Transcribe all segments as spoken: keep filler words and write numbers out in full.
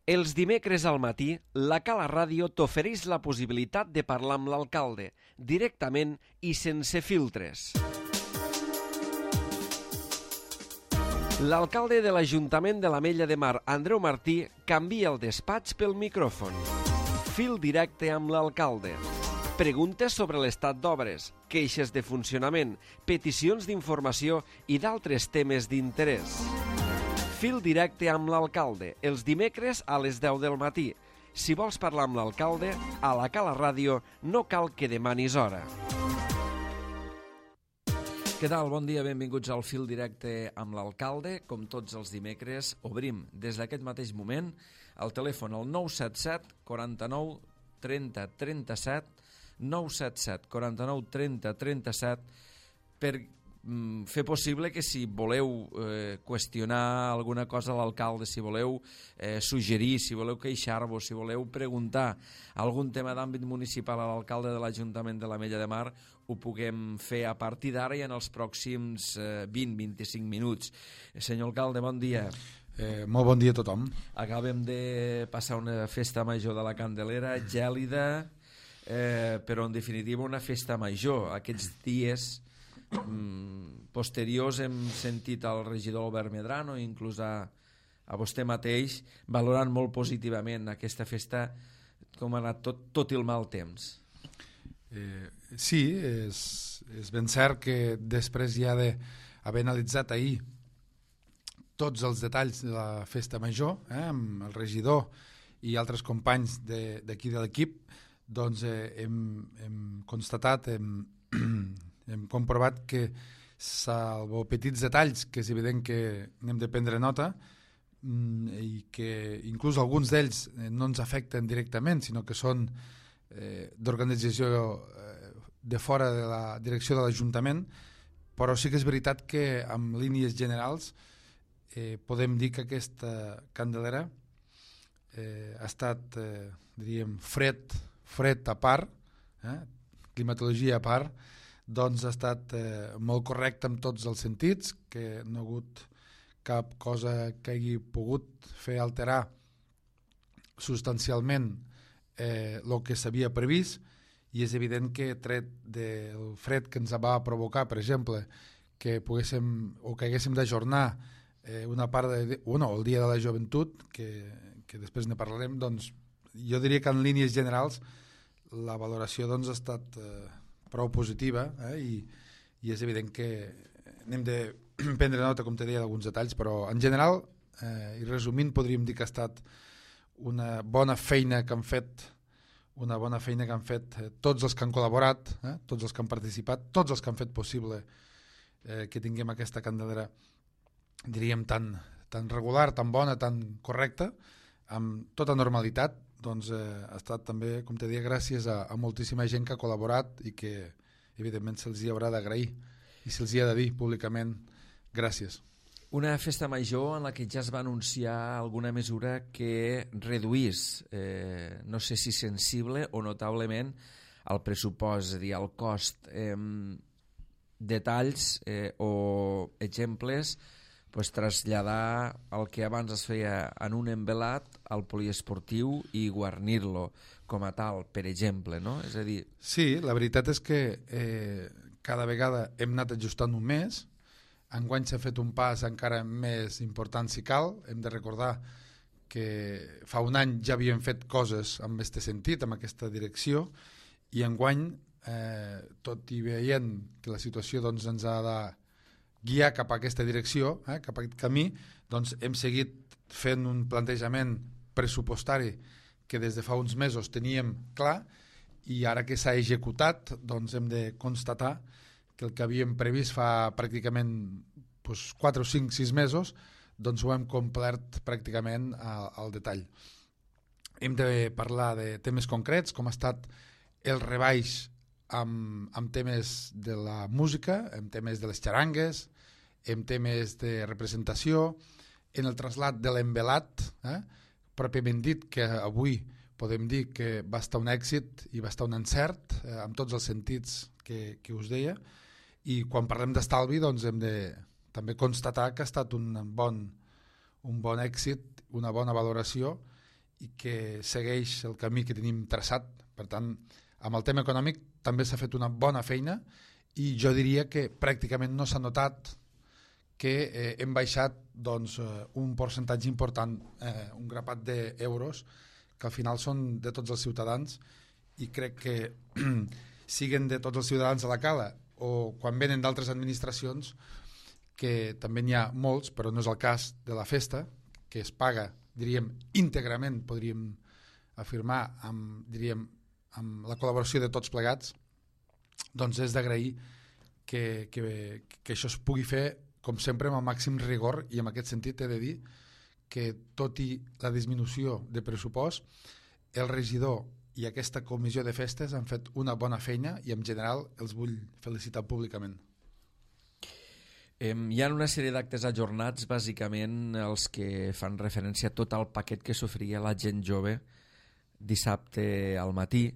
Els dimecres al matí, la Cala Ràdio t'ofereix la possibilitat de parlar amb l'alcalde, directament i sense filtres. L'alcalde de l'Ajuntament de l'Ametlla de Mar, Andreu Martí, canvia el despatx pel micròfon. Fil directe amb l'alcalde. Preguntes sobre l'estat d'obres, queixes de funcionament, peticions d'informació i d'altres temes d'interès. Fil directe amb l'alcalde, els dimecres a les deu del matí. Si vols parlar amb l'alcalde, a la Cala Ràdio no cal que demanis hora. Què tal? Bon dia, benvinguts al Fil directe amb l'alcalde. Com tots els dimecres, obrim des d'aquest mateix moment el telèfon al nou set set, quaranta-nou, trenta, trenta-set, nou set set, quaranta-nou, trenta, trenta-set, per fer possible que si voleu eh, qüestionar alguna cosa a l'alcalde, si voleu eh, suggerir, si voleu queixar-vos, si voleu preguntar algun tema d'àmbit municipal a l'alcalde de l'Ajuntament de l'Ametlla de Mar, ho puguem fer a partir d'ara i en els pròxims eh, vint a vint-i-cinc minuts. Senyor alcalde, bon dia. Eh, molt bon dia a tothom. Acabem de passar una festa major de la Candelera, gèlida, eh, però en definitiva una festa major. Aquests dies posteriors hem sentit al regidor Albert Medrano, inclús a, a vostè mateix, valorant molt positivament aquesta festa, com ha anat tot, tot el mal temps. Eh, sí, és, és ben cert que després ja d'haver analitzat ahir tots els detalls de la festa major, eh, amb el regidor i altres companys d'aquí de, de l'equip, doncs eh, hem, hem constatat, hem hem comprovat que, salvo petits detalls, que és evident que n'hem de prendre nota, i que inclús alguns d'ells no ens afecten directament, sinó que són eh, d'organització eh, de fora de la direcció de l'Ajuntament, però sí que és veritat que amb línies generals eh, podem dir que aquesta Candelera eh, ha estat, eh, diríem, fred, fred a part, eh, climatologia a part, doncs ha estat eh, molt correcte en tots els sentits, que no ha hagut cap cosa que hagi pogut fer alterar substancialment eh, el que s'havia previst, i és evident que tret del fred que ens va provocar, per exemple, que poguéssim o que haguéssim d'ajornar eh, una part de, bueno, el dia de la joventut, que, que després ne parlarem, doncs jo diria que en línies generals la valoració doncs, ha estat eh, prou positiva, eh, i, i és evident que n'hem de prendre nota, com te deia, d'alguns detalls, però en general, eh, i resumint, podríem dir que ha estat una bona feina que han fet, una bona feina que han fet eh, tots els que han col·laborat, eh, tots els que han participat, tots els que han fet possible eh, que tinguem aquesta Candelera, diríem, tan, tan regular, tan bona, tan correcta, amb tota normalitat. Doncs eh, ha estat també, com te deia, gràcies a, a moltíssima gent que ha col·laborat i que evidentment se'ls hi haurà d'agrair i se'ls hi ha de dir públicament gràcies. Una festa major en la que ja es va anunciar alguna mesura que reduís, eh, no sé si sensible o notablement, el pressupost, és a dir, el cost. Eh, detalls eh, o exemples, pues, traslladar el que abans es feia en un envelat al poliesportiu i guarnir-lo com a tal, per exemple, no? És a dir... Sí, la veritat és que eh, cada vegada hem anat ajustant un mes. Enguany s'ha fet un pas encara més important si cal. Hem de recordar que fa un any ja havíem fet coses en aquest sentit, en aquesta direcció, i enguany, eh, tot i veient que la situació doncs, ens ha de guiar cap a aquesta direcció, eh, cap a aquest camí, doncs hem seguit fent un plantejament pressupostari que des de fa uns mesos teníem clar, i ara que s'ha executat doncs hem de constatar que el que havíem previst fa pràcticament doncs, quatre o cinc, sis mesos, doncs ho hem complert pràcticament al, al detall. Hem de parlar de temes concrets, com ha estat el rebaix amb, amb temes de la música, amb temes de les xarangues, amb temes de representació, en el trasllat de l'envelat, eh? pròpiament dit, que avui podem dir que va estar un èxit i va estar un encert, eh, amb tots els sentits que, que us deia, i quan parlem d'estalvi doncs hem de també constatar que ha estat un bon, un bon èxit, una bona valoració, i que segueix el camí que tenim traçat. Per tant, amb el tema econòmic també s'ha fet una bona feina i jo diria que pràcticament no s'ha notat que eh, hem baixat doncs, un percentatge important, eh, un grapat d'euros que al final són de tots els ciutadans i crec que siguen de tots els ciutadans a la cala o quan venen d'altres administracions, que també n'hi ha molts, però no és el cas de la festa, que es paga, diríem, íntegrament, podríem afirmar, amb, diríem, amb la col·laboració de tots plegats, doncs és d'agrair que, que, que això es pugui fer, com sempre, amb el màxim rigor, i en aquest sentit he de dir que, tot i la disminució de pressupost, el regidor i aquesta comissió de festes han fet una bona feina i en general els vull felicitar públicament. Eh, hi ha una sèrie d'actes ajornats, bàsicament els que fan referència a tot el paquet que s'oferia la gent jove dissabte al matí,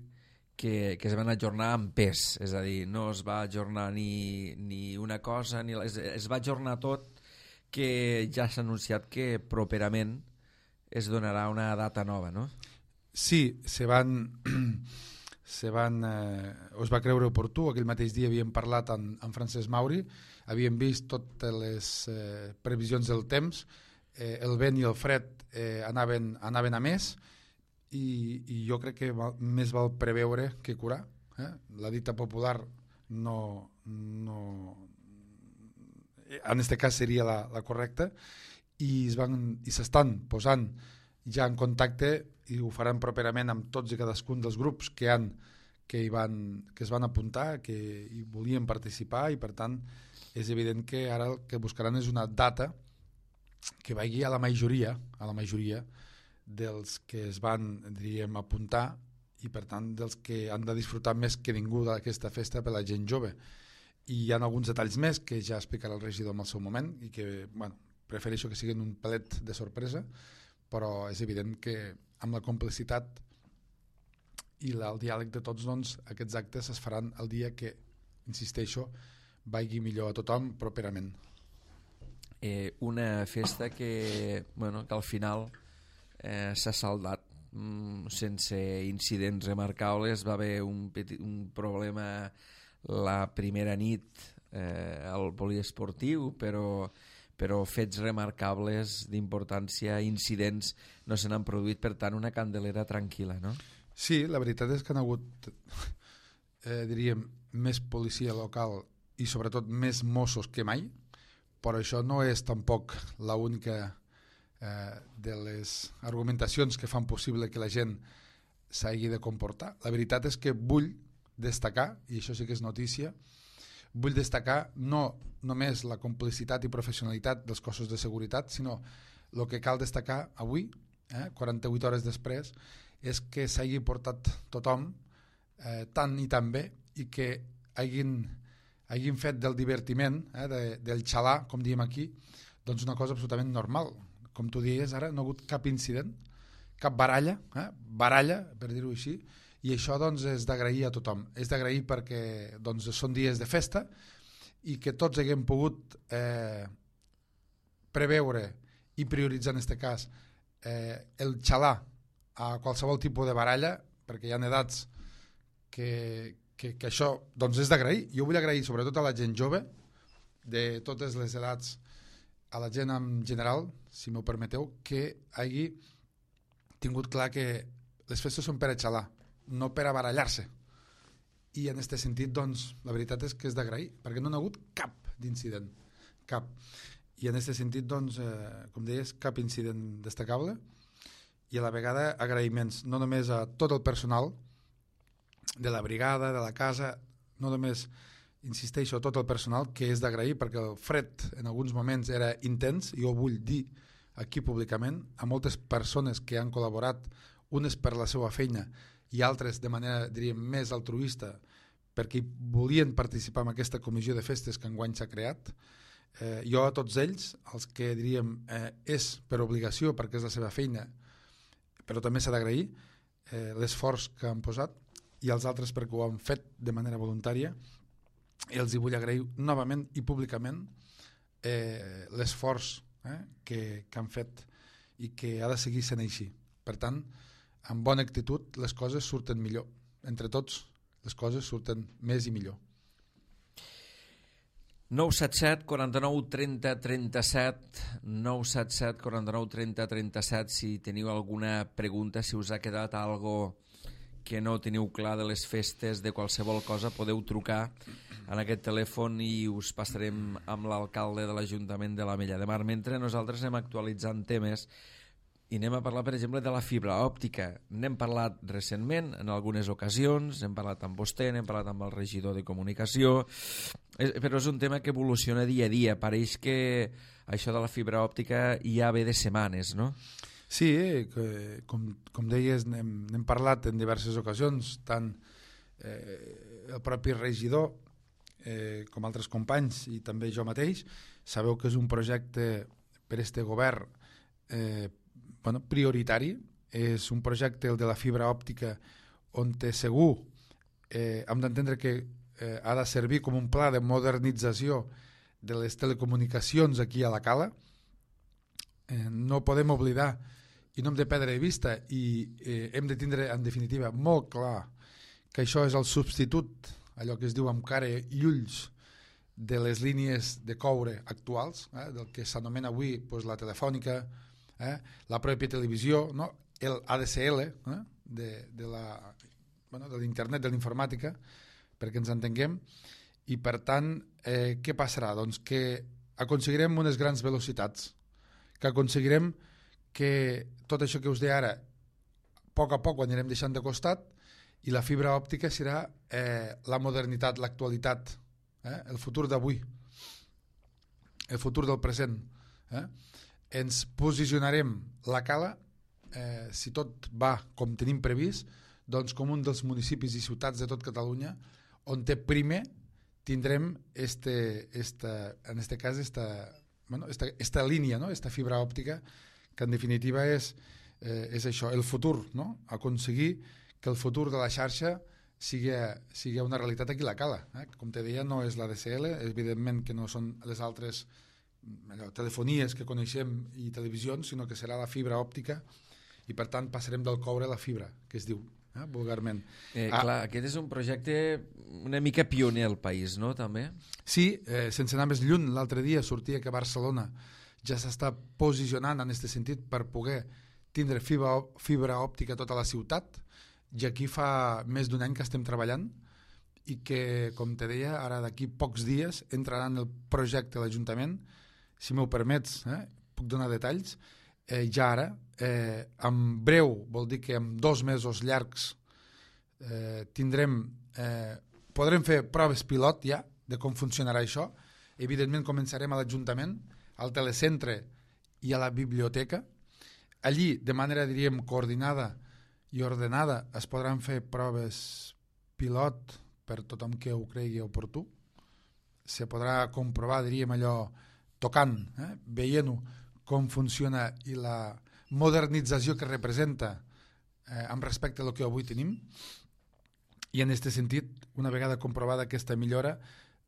que, que es van ajornar amb pes, és a dir, no es va ajornar ni, ni una cosa, ni la, es, es va ajornar tot, que ja s'ha anunciat que properament es donarà una data nova, no? Sí, se van, se van, eh, us va creure oportú, aquell mateix dia havíem parlat amb, amb Francesc Mauri, havíem vist totes les eh, previsions del temps, eh, el vent i el fred eh, anaven, anaven a més i, i jo crec que val, més val preveure que curar. Eh? La dita popular no, no, en aquest cas seria la, la correcta i es van, i s'estan posant ja en contacte i ho faran properament amb tots i cadascun dels grups que, han, que, hi van, que es van apuntar, que hi volien participar i per tant és evident que ara el que buscaran és una data que vagi a la majoria, a la majoria dels que es van, diríem, apuntar i per tant dels que han de disfrutar més que ningú d'aquesta festa per la gent jove. I hi ha alguns detalls més que ja explicarà el regidor en el seu moment i que, bueno, prefereixo que siguin un pelet de sorpresa, però és evident que amb la complicitat i la, el diàleg de tots, doncs, aquests actes es faran el dia que, insisteixo, vagi millor a tothom properament. Eh, una festa que, bueno, que al final eh, s'ha saldat mm, sense incidents remarcables. Va haver un, petit, un problema la primera nit eh, al poliesportiu, però però fets remarcables d'importància, incidents no se n'han produït, per tant una candelera tranquil·la, no? Sí, la veritat és que han hagut eh, diríem, més policia local i sobretot més Mossos que mai, però això no és tampoc l'única eh, de les argumentacions que fan possible que la gent s'hagi de comportar. La veritat és que vull destacar, i això sí que és notícia, vull destacar no només la complicitat i professionalitat dels cossos de seguretat, sinó el que cal destacar avui, eh, quaranta-vuit hores després, és que s'hagi portat tothom eh, tan i tan bé i que hagin, hagin fet del divertiment, eh, de, del xalà, com diem aquí, doncs una cosa absolutament normal. Com tu dius ara, no ha hagut cap incident, cap baralla, eh, baralla, per dir-ho així, i això doncs és d'agrair a tothom. És d'agrair perquè doncs, són dies de festa i que tots haguem pogut eh, preveure i prioritzar en aquest cas eh, el xalar a qualsevol tipus de baralla, perquè hi ha edats que, que, que això doncs és d'agrair. Jo vull agrair sobretot a la gent jove, de totes les edats, a la gent en general, si m'ho permeteu, que hagi tingut clar que les festes són per a xalar, no per a barallar-se. I en aquest sentit, doncs, la veritat és que és d'agrair, perquè no n'ha hagut cap d'incident, cap. I en aquest sentit, doncs, eh, com deies, cap incident destacable i a la vegada agraïments, no només a tot el personal de la brigada, de la casa, no només, insisteixo, a tot el personal, que és d'agrair, perquè el fred en alguns moments era intens, i ho vull dir aquí públicament, a moltes persones que han col·laborat, unes per la seva feina, i altres de manera, diríem, més altruista perquè volien participar en aquesta comissió de festes que enguany s'ha creat. Eh, jo a tots ells, els que diríem eh, és per obligació perquè és la seva feina, però també s'ha d'agrair eh, l'esforç que han posat, i els altres perquè ho han fet de manera voluntària, i els hi vull agrair novament i públicament eh, l'esforç eh, que, que han fet i que ha de seguir sent així. Per tant, amb bona actitud les coses surten millor. Entre tots, les coses surten més i millor. nou set set, quaranta-nou, trenta, trenta-set, nou set set, quaranta-nou, trenta, trenta-set, si teniu alguna pregunta, si us ha quedat algo que no teniu clar de les festes, de qualsevol cosa, podeu trucar en aquest telèfon i us passarem amb l'alcalde de l'Ajuntament de l'Ametlla de Mar. Mentre nosaltres anem actualitzant temes i anem a parlar, per exemple, de la fibra òptica. N'hem parlat recentment, en algunes ocasions, hem parlat amb vostè, n'hem parlat amb el regidor de comunicació, però és un tema que evoluciona dia a dia. Pareix que això de la fibra òptica ja ve de setmanes, no? Sí, eh, com, com deies, n'hem, n'hem parlat en diverses ocasions, tant eh, el propi regidor eh, com altres companys i també jo mateix. Sabeu que és un projecte per este govern eh, bueno, prioritari, és un projecte, el de la fibra òptica, on té segur eh, hem d'entendre que eh, ha de servir com un pla de modernització de les telecomunicacions aquí a la Cala. Eh, no podem oblidar i no hem de perdre de vista i eh, hem de tindre en definitiva molt clar que això és el substitut, allò que es diu amb cara i ulls, de les línies de coure actuals, eh, del que s'anomena avui pues, la telefònica, Eh, la pròpia televisió, no? El A D S L eh? de, de la, bueno, de l'internet, de l'informàtica, perquè ens entenguem, i per tant, eh, què passarà? Doncs que aconseguirem unes grans velocitats, que aconseguirem que tot això que us deia ara, a poc a poc ho anirem deixant de costat, i la fibra òptica serà eh, la modernitat, l'actualitat, eh? El futur d'avui, el futur del present, eh? Ens posicionarem la Cala, eh, si tot va com tenim previst, doncs com un dels municipis i ciutats de tot Catalunya on té primer tindrem este, esta, en este cas esta, bueno, esta, esta línia, no? Esta fibra òptica, que en definitiva és, eh, és això, el futur, no? Aconseguir que el futur de la xarxa sigui, sigui una realitat aquí a la Cala. Eh? Com te deia, no és la D S L, evidentment que no són les altres allò, telefonies que coneixem i televisions, sinó que serà la fibra òptica i per tant passarem del coure a la fibra, que es diu eh, vulgarment. Eh, ah, clar, aquest és un projecte una mica pioner al país, no, també? Sí, eh, sense anar més lluny, l'altre dia sortia que Barcelona ja s'està posicionant en aquest sentit per poder tindre fibra, fibra òptica a tota la ciutat, i aquí fa més d'un any que estem treballant i que, com te deia, ara d'aquí pocs dies entrarà en el projecte de l'Ajuntament. Si m'ho permets, eh, puc donar detalls. Eh, ja ara, eh, en breu, vol dir que en dos mesos llargs eh, tindrem, eh, podrem fer proves pilot ja de com funcionarà això. Evidentment començarem a l'Ajuntament, al telecentre i a la biblioteca. Allí, de manera, diríem, coordinada i ordenada, es podran fer proves pilot per tothom que ho cregui oportú. Se podrà comprovar, diríem, allò tocant, eh? veient-ho com funciona i la modernització que representa eh, amb respecte a lo que avui tenim. I en aquest sentit, una vegada comprovada aquesta millora,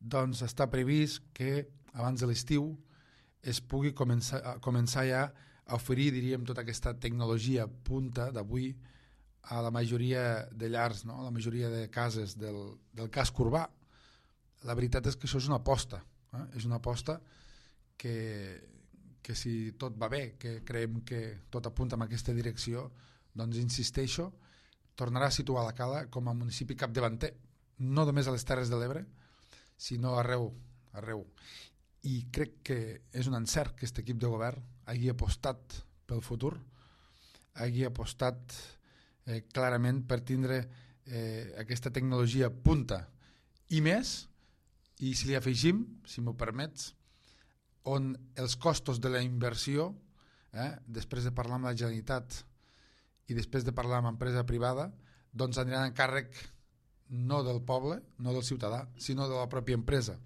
doncs està previst que abans de l'estiu es pugui començar, començar ja a oferir, diríem, tota aquesta tecnologia punta d'avui a la majoria de llars, no? A la majoria de cases del, del casc urbà. La veritat és que això és una aposta, eh? És una aposta que, que si tot va bé, que creiem que tot apunta en aquesta direcció, doncs insisteixo, tornarà a situar la Cala com a municipi capdavanter, no només a les Terres de l'Ebre, sinó arreu, arreu. I crec que és un encert que aquest equip de govern hagi apostat pel futur, hagi apostat eh, clarament per tindre eh, aquesta tecnologia punta i més, i si li afegim, si m'ho permets, on els costos de la inversió, eh, després de parlar amb la Generalitat i després de parlar amb empresa privada, doncs aniran a càrrec no del poble, no del ciutadà, sinó de la pròpia empresa.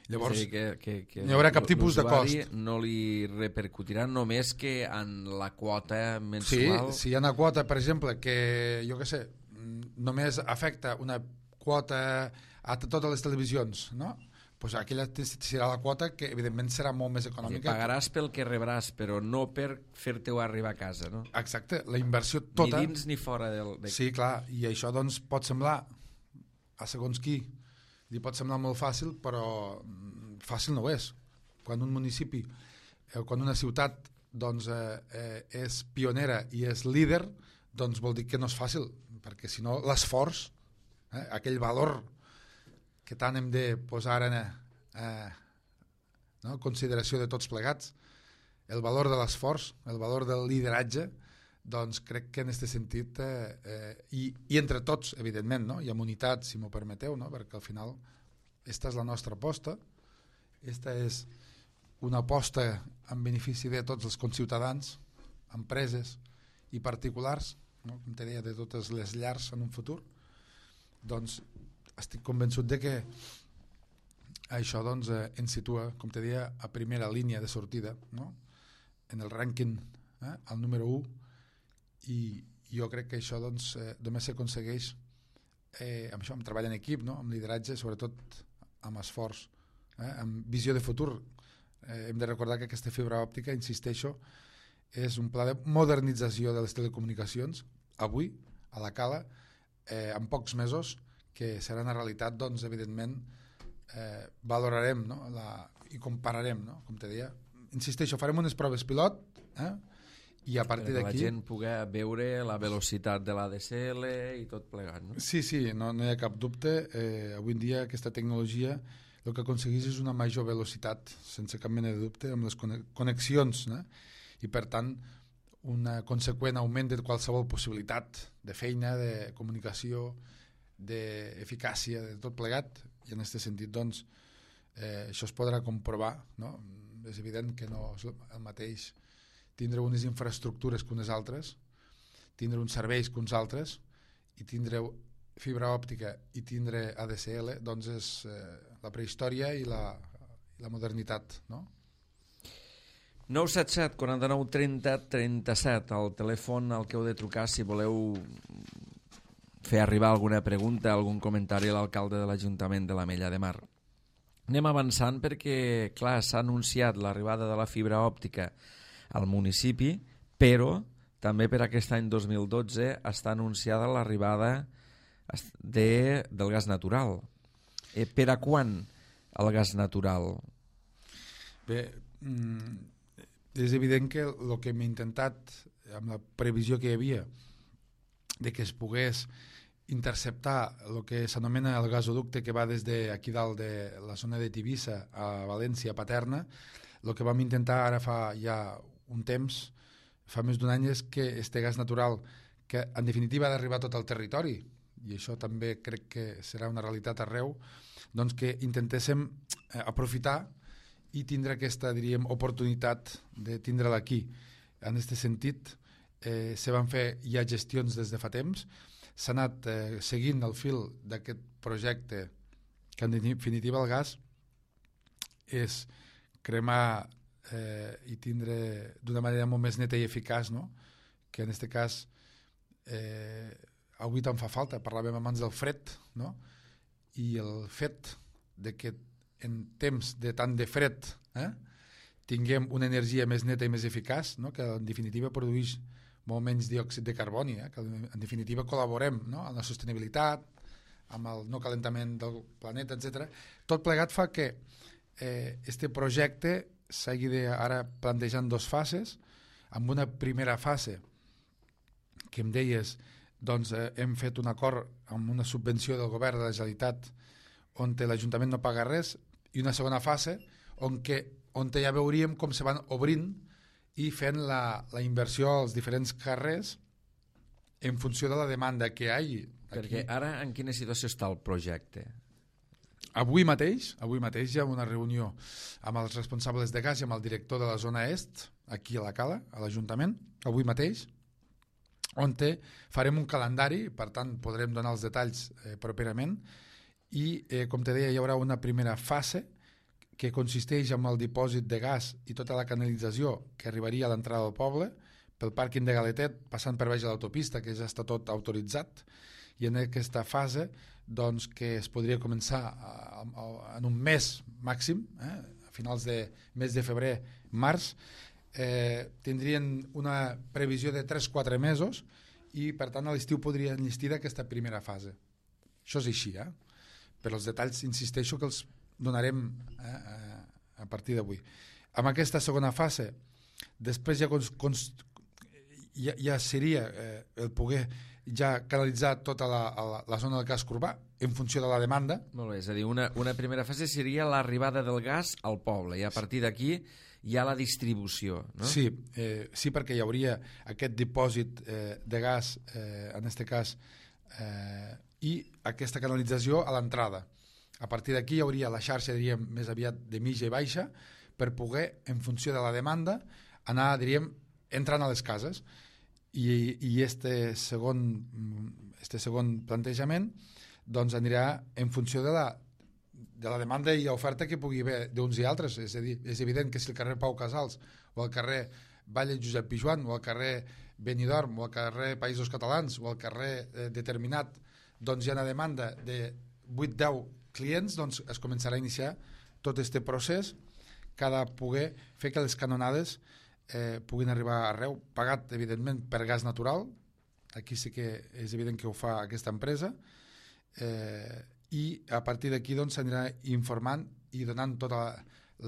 Llavors, sí, que, que, que no hi haurà cap tipus de cost. No li repercutirà només que en la quota mensual... Sí, si hi ha una quota, per exemple, que, jo què sé, només afecta una quota a totes les televisions, no? pues aquella serà la quota que evidentment serà molt més econòmica. Pagaràs pel que rebràs, però no per fer-te-ho arribar a casa, no? Exacte, la inversió tota... Ni dins ni fora del... De... Sí, clar, i això doncs pot semblar, a segons qui, li pot semblar molt fàcil, però fàcil no ho és. Quan un municipi, eh, quan una ciutat doncs, eh, eh, és pionera i és líder, doncs vol dir que no és fàcil, perquè si no l'esforç, eh, aquell valor que tant hem de posar en eh, no, consideració de tots plegats, el valor de l'esforç, el valor del lideratge, doncs crec que en aquest sentit, eh, eh, i, i entre tots, evidentment, no? I amb unitat, si m'ho permeteu, no? Perquè al final esta és la nostra aposta, esta és una aposta en benefici de tots els conciutadans, empreses i particulars, no? Com te deia, de totes les llars en un futur, doncs estic convençut de que això doncs, eh, ens situa, com te deia, a primera línia de sortida, no? En el rànquing, eh, al número u, i jo crec que això doncs, eh, només s'aconsegueix eh, amb això, amb treball en equip, no? Amb lideratge, sobretot amb esforç, eh, amb visió de futur. Eh, hem de recordar que aquesta fibra òptica, insisteixo, és un pla de modernització de les telecomunicacions, avui, a la Cala, eh, en pocs mesos, que serà una realitat, doncs, evidentment, eh, valorarem, no? La, i compararem, no? Com te deia. Insisteixo, farem unes proves pilot, eh? I a partir d'aquí... la gent pugui veure la velocitat de l'A D S L i tot plegat, no? Sí, sí, no, no hi ha cap dubte. Eh, avui en dia aquesta tecnologia el que aconsegueix és una major velocitat, sense cap mena de dubte, amb les connexions, no? I per tant, un conseqüent augment de qualsevol possibilitat de feina, de comunicació, d'eficàcia, de tot plegat, i en aquest sentit doncs, eh, això es podrà comprovar, no? És evident que no és el mateix tindre unes infraestructures que unes altres, tindre uns serveis que uns altres, i tindre fibra òptica i tindre A D S L, doncs és eh, la prehistòria i la, i la modernitat, no? nou set set, quaranta-nou, trenta, trenta-set, el telèfon al que heu de trucar si voleu fer arribar alguna pregunta, algun comentari a l'alcalde de l'Ajuntament de l'Ametlla de Mar. Anem avançant perquè, clar, s'ha anunciat l'arribada de la fibra òptica al municipi, però també per aquest any dos mil dotze està anunciada l'arribada de, del gas natural. Eh, per a quan el gas natural? Bé, és evident que el que hem intentat, amb la previsió que hi havia, de que es pogués interceptar el que s'anomena el gasoducte que va des d'aquí dalt de la zona de Tivissa a València, a Paterna, el que vam intentar ara fa ja un temps, fa més d'un any, és que este gas natural, que en definitiva ha d'arribar a tot el territori, i això també crec que serà una realitat arreu, doncs que intentéssim aprofitar i tindre aquesta, diríem, oportunitat de tindre-la aquí. En aquest sentit, eh, se van fer ja gestions des de fa temps, s'ha anat eh, seguint el fil d'aquest projecte, que en definitiva el gas és cremar eh, i tindre d'una manera molt més neta i eficaç, no? Que en aquest cas eh, avui tant fa falta, parlàvem abans del fred, no? I el fet de que en temps de tant de fred eh, tinguem una energia més neta i més eficaç, no? Que en definitiva produeix molt menys diòxid de carboni, eh? Que en definitiva col·laborem, no? En la sostenibilitat, amb el no calentament del planeta, etcètera. Tot plegat fa que eh, este projecte s'hagi de ara plantejant dos fases, amb una primera fase que em deies, doncs eh, hem fet un acord amb una subvenció del govern de la Generalitat on l'Ajuntament no paga res, i una segona fase on, que, on ja veuríem com se van obrint i fent la, la inversió als diferents carrers en funció de la demanda que hi hagi. Perquè ara en quina situació està el projecte? Avui mateix, avui mateix hi ha una reunió amb els responsables de gas i amb el director de la zona est, aquí a la Cala, a l'Ajuntament, avui mateix, on farem un calendari, per tant podrem donar els detalls eh, properament, i eh, com te deia hi haurà una primera fase que consisteix en el dipòsit de gas i tota la canalització que arribaria a l'entrada del poble, pel pàrquing de Galetet, passant per baix de l'autopista, que ja està tot autoritzat, i en aquesta fase doncs, que es podria començar a, a, en un mes màxim, eh, a finals de mes de febrer, març, eh, tindrien una previsió de tres a quatre mesos i per tant a l'estiu podrien enllestir d'aquesta primera fase. Això és així, eh? Però els detalls insisteixo que els donarem eh, a partir d'avui. Amb aquesta segona fase, després ja, cons, cons, ja, ja seria eh, el poder ja canalitzar tota la, la, la zona del casc urbà en funció de la demanda. Molt bé, és a dir, una, una primera fase seria l'arribada del gas al poble i a partir d'aquí hi ha la distribució, no? Sí, eh, sí, perquè hi hauria aquest dipòsit eh, de gas, eh, en aquest cas, eh, i aquesta canalització a l'entrada. A partir d'aquí hi hauria la xarxa, diríem, més aviat de mitja i baixa, per poder, en funció de la demanda, anar, diríem, entrant a les cases. I, i este, segon, este segon plantejament doncs anirà en funció de la, de la demanda i oferta que pugui haver d'uns i altres. És a dir, és evident que si el carrer Pau Casals o el carrer Valle Josep Pijuan o el carrer Benidorm o el carrer Països Catalans o el carrer eh, determinat doncs hi ha una demanda de vuit a deu clients, doncs es començarà a iniciar tot aquest procés que ha de poder fer que les canonades eh, puguin arribar arreu, pagat evidentment per gas natural. Aquí sí que és evident que ho fa aquesta empresa, eh, i a partir d'aquí doncs s'anirà informant i donant tots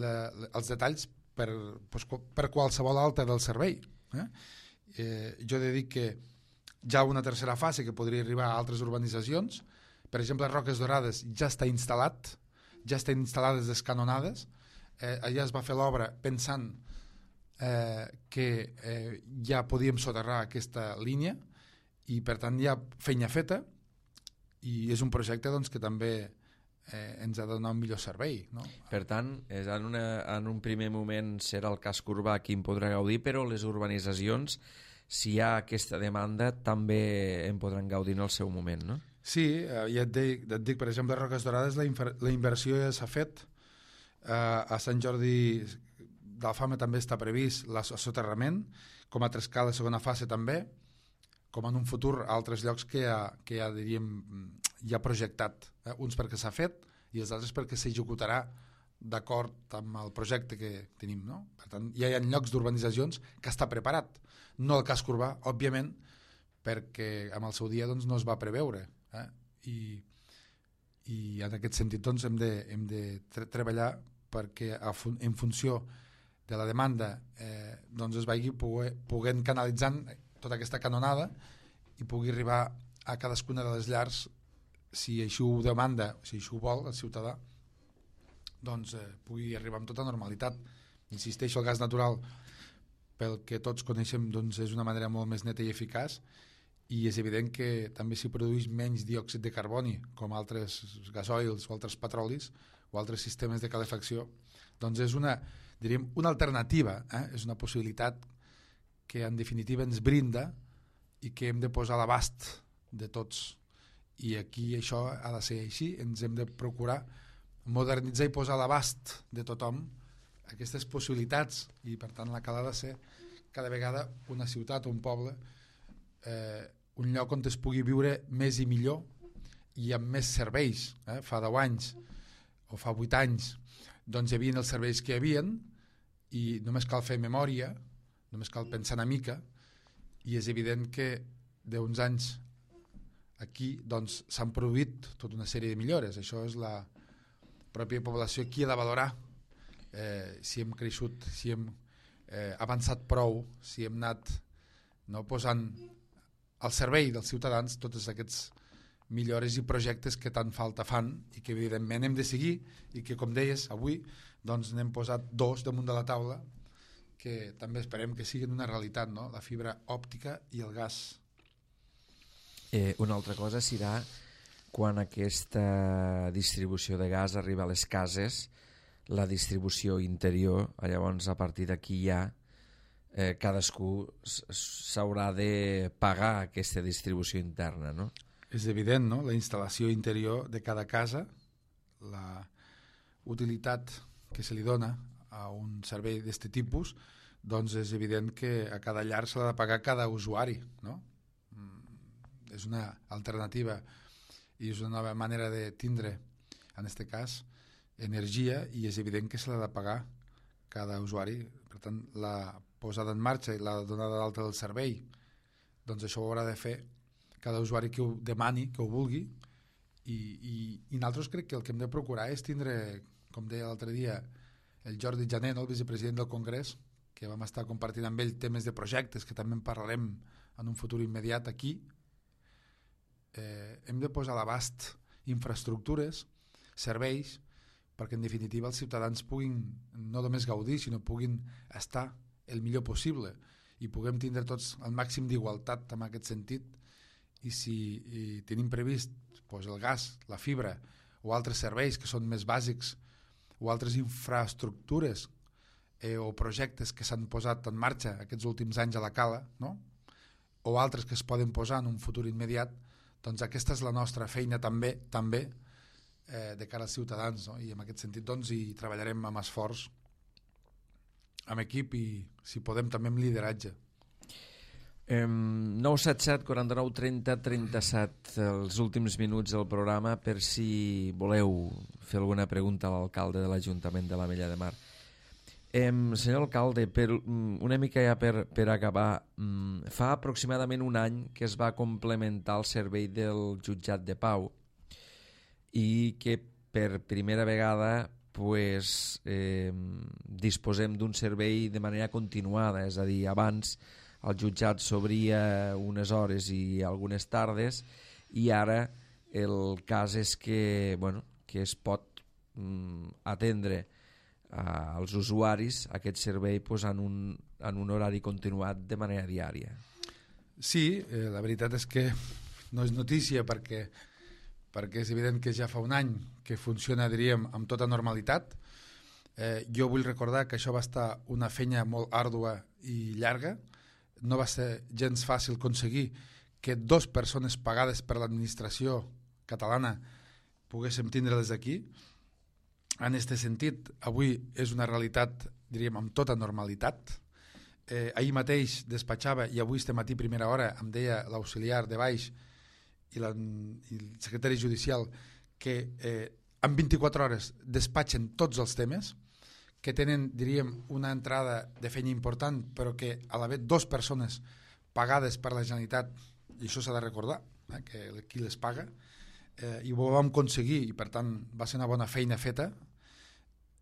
els detalls per, pues, per qualsevol alta del servei. Eh? Eh, jo he de dir que hi ha una tercera fase que podria arribar a altres urbanitzacions. Per exemple, Roques Dorades ja està instal·lat, ja estan instal·lades les canonades. Eh, allà es va fer l'obra pensant eh, que eh, ja podíem soterrar aquesta línia i per tant hi ha feina feta i és un projecte doncs, que també eh, ens ha de donar un millor servei, no? Per tant, és en, una, en un primer moment serà el casc urbà qui en podrà gaudir, però les urbanitzacions, si hi ha aquesta demanda, també en podran gaudir en el seu moment, no? Sí, eh, ja et dic, et dic, per exemple, a Roques Dorades la, infer, la inversió ja s'ha fet. Eh, a Sant Jordi d'Alfama també està previst l'assoterrament, com a Trescar la segona fase també, com en un futur a altres llocs que ja, que ja diríem ja projectat, eh? Uns perquè s'ha fet i els altres perquè s'executarà d'acord amb el projecte que tenim, no? Per tant, ja hi ha llocs d'urbanitzacions que està preparat, no el casc urbà, òbviament, perquè amb el seu dia doncs, no es va preveure, eh? I, i en aquest sentit doncs, hem de, hem de tre treballar perquè a fun en funció de la demanda eh, doncs es vagi poguent canalitzant tota aquesta canonada i pugui arribar a cadascuna de les llars, si així ho demanda, si així ho vol el ciutadà, doncs eh, pugui arribar amb tota normalitat. Insisteixo, el gas natural, pel que tots coneixem, doncs és una manera molt més neta i eficaç, i és evident que també s'hi produeix menys diòxid de carboni, com altres gasoils o altres petrolis o altres sistemes de calefacció. Doncs és una, diríem, una alternativa, eh? És una possibilitat que en definitiva ens brinda i que hem de posar a l'abast de tots. I aquí això ha de ser així, ens hem de procurar modernitzar i posar a l'abast de tothom aquestes possibilitats, i per tant la Cala ha de ser cada vegada una ciutat o un poble, eh, un lloc on es pugui viure més i millor i amb més serveis. Eh? Fa deu anys o fa vuit anys doncs hi havia els serveis que hi havia i només cal fer memòria, només cal pensar una mica, i és evident que d'uns anys aquí doncs, s'han produït tota una sèrie de millores. Això és la pròpia població qui ha de valorar eh, si hem creixut, si hem eh, avançat prou, si hem anat no, posant al servei dels ciutadans tots aquests millores i projectes que tant falta fan i que evidentment hem de seguir i que, com deies, avui doncs, n'hem posat dos damunt de la taula que també esperem que siguin una realitat, no? La fibra òptica i el gas. Eh, una altra cosa serà quan aquesta distribució de gas arriba a les cases, la distribució interior, llavors a partir d'aquí ja eh, cadascú s'haurà de pagar aquesta distribució interna, no? És evident, no? La instal·lació interior de cada casa, la utilitat que se li dona a un servei d'aquest tipus, doncs és evident que a cada llar se l'ha de pagar cada usuari, no? és una alternativa i és una nova manera de tindre, en aquest cas, energia, i és evident que se l'ha de pagar cada usuari. Per tant, la posada en marxa i la donada d'alta del servei, doncs això ho haurà de fer cada usuari que ho demani, que ho vulgui, i, i, i nosaltres crec que el que hem de procurar és tindre, com deia l'altre dia el Jordi Jané, el vicepresident del Congrés, que vam estar compartint amb ell temes de projectes, que també en parlarem en un futur immediat aquí, eh, hem de posar a l'abast infraestructures, serveis, perquè en definitiva els ciutadans puguin no només gaudir, sinó puguin estar el millor possible i puguem tindre tots el màxim d'igualtat en aquest sentit. I si i tenim previst doncs, el gas, la fibra o altres serveis que són més bàsics o altres infraestructures eh, o projectes que s'han posat en marxa aquests últims anys a la cala, no? O altres que es poden posar en un futur immediat, doncs aquesta és la nostra feina també, també eh, de cara als ciutadans, no? I en aquest sentit doncs, hi treballarem amb esforç, amb equip i, si podem, també amb lideratge. Um, nou set set, quaranta-nou, trenta, trenta-set, els últims minuts del programa, per si voleu fer alguna pregunta a l'alcalde de l'Ajuntament de l'Ametlla de Mar. Um, senyor alcalde, per, um, una mica ja per, per acabar, um, fa aproximadament un any que es va complementar el servei del jutjat de pau i que per primera vegada pues, eh, disposem d'un servei de manera continuada, és a dir, abans el jutjat s'obria unes hores i algunes tardes i ara el cas és que, bueno, que es pot mm, atendre uh, als usuaris aquest servei pues, en, un, en un horari continuat de manera diària. Sí, eh, la veritat és que no és notícia perquè, perquè és evident que ja fa un any que funciona, diríem, amb tota normalitat. Eh, jo vull recordar que això va estar una feina molt àrdua i llarga. No va ser gens fàcil aconseguir que dos persones pagades per l'administració catalana poguéssim tindre-les aquí. En aquest sentit, avui és una realitat, diríem, amb tota normalitat. Eh, ahir mateix despatxava, i avui este matí primera hora em deia l'auxiliar de baix i, la, i el secretari judicial que eh, en vint-i-quatre hores despatxen tots els temes, que tenen, diríem, una entrada de feina important, però que a l'haver dues persones pagades per la Generalitat, i això s'ha de recordar, eh, que qui les paga, eh, i ho vam aconseguir, i per tant va ser una bona feina feta,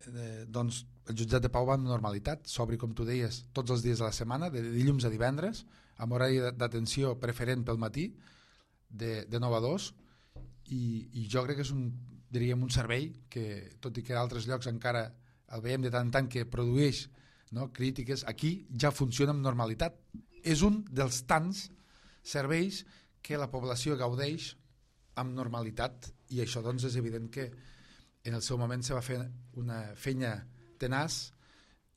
eh, doncs el jutjat de pau va en normalitat, s'obri, com tu deies, tots els dies de la setmana, de dilluns a divendres, amb horari d'atenció preferent pel matí, de, de nou a dos, i, i jo crec que és un, diríem, un servei que, tot i que a altres llocs encara el veiem de tant en tant que produeix, no, crítiques, aquí ja funciona amb normalitat. És un dels tants serveis que la població gaudeix amb normalitat, i això doncs és evident que en el seu moment se va fer una feina tenaç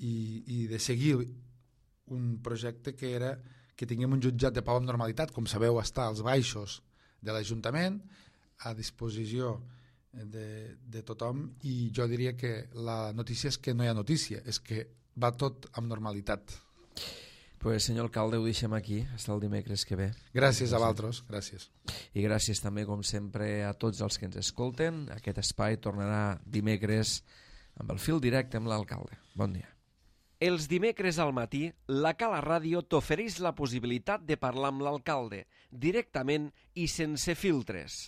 i, i de seguir un projecte que era que tinguem un jutjat de pau amb normalitat. Com sabeu, està als baixos de l'Ajuntament, a disposició De, de tothom, i jo diria que la notícia és que no hi ha notícia, és que va tot amb normalitat. Pues, senyor alcalde, ho deixem aquí, fins el dimecres que ve. Gràcies a vosaltres, gràcies. I gràcies també, com sempre, a tots els que ens escolten. Aquest espai tornarà dimecres amb el fil directe amb l'alcalde. Bon dia. Els dimecres al matí, la Cala Ràdio t'ofereix la possibilitat de parlar amb l'alcalde, directament i sense filtres.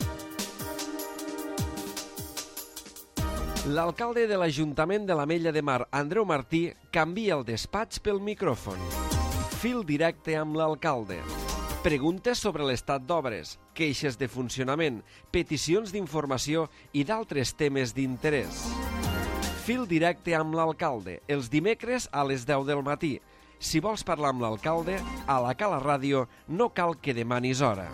L'alcalde de l'Ajuntament de l'Ametlla de Mar, Andreu Martí, canvia el despatx pel micròfon. Fil directe amb l'alcalde. Preguntes sobre l'estat d'obres, queixes de funcionament, peticions d'informació i d'altres temes d'interès. Fil directe amb l'alcalde, els dimecres a les deu del matí. Si vols parlar amb l'alcalde, a la Cala Ràdio no cal que demanis hora.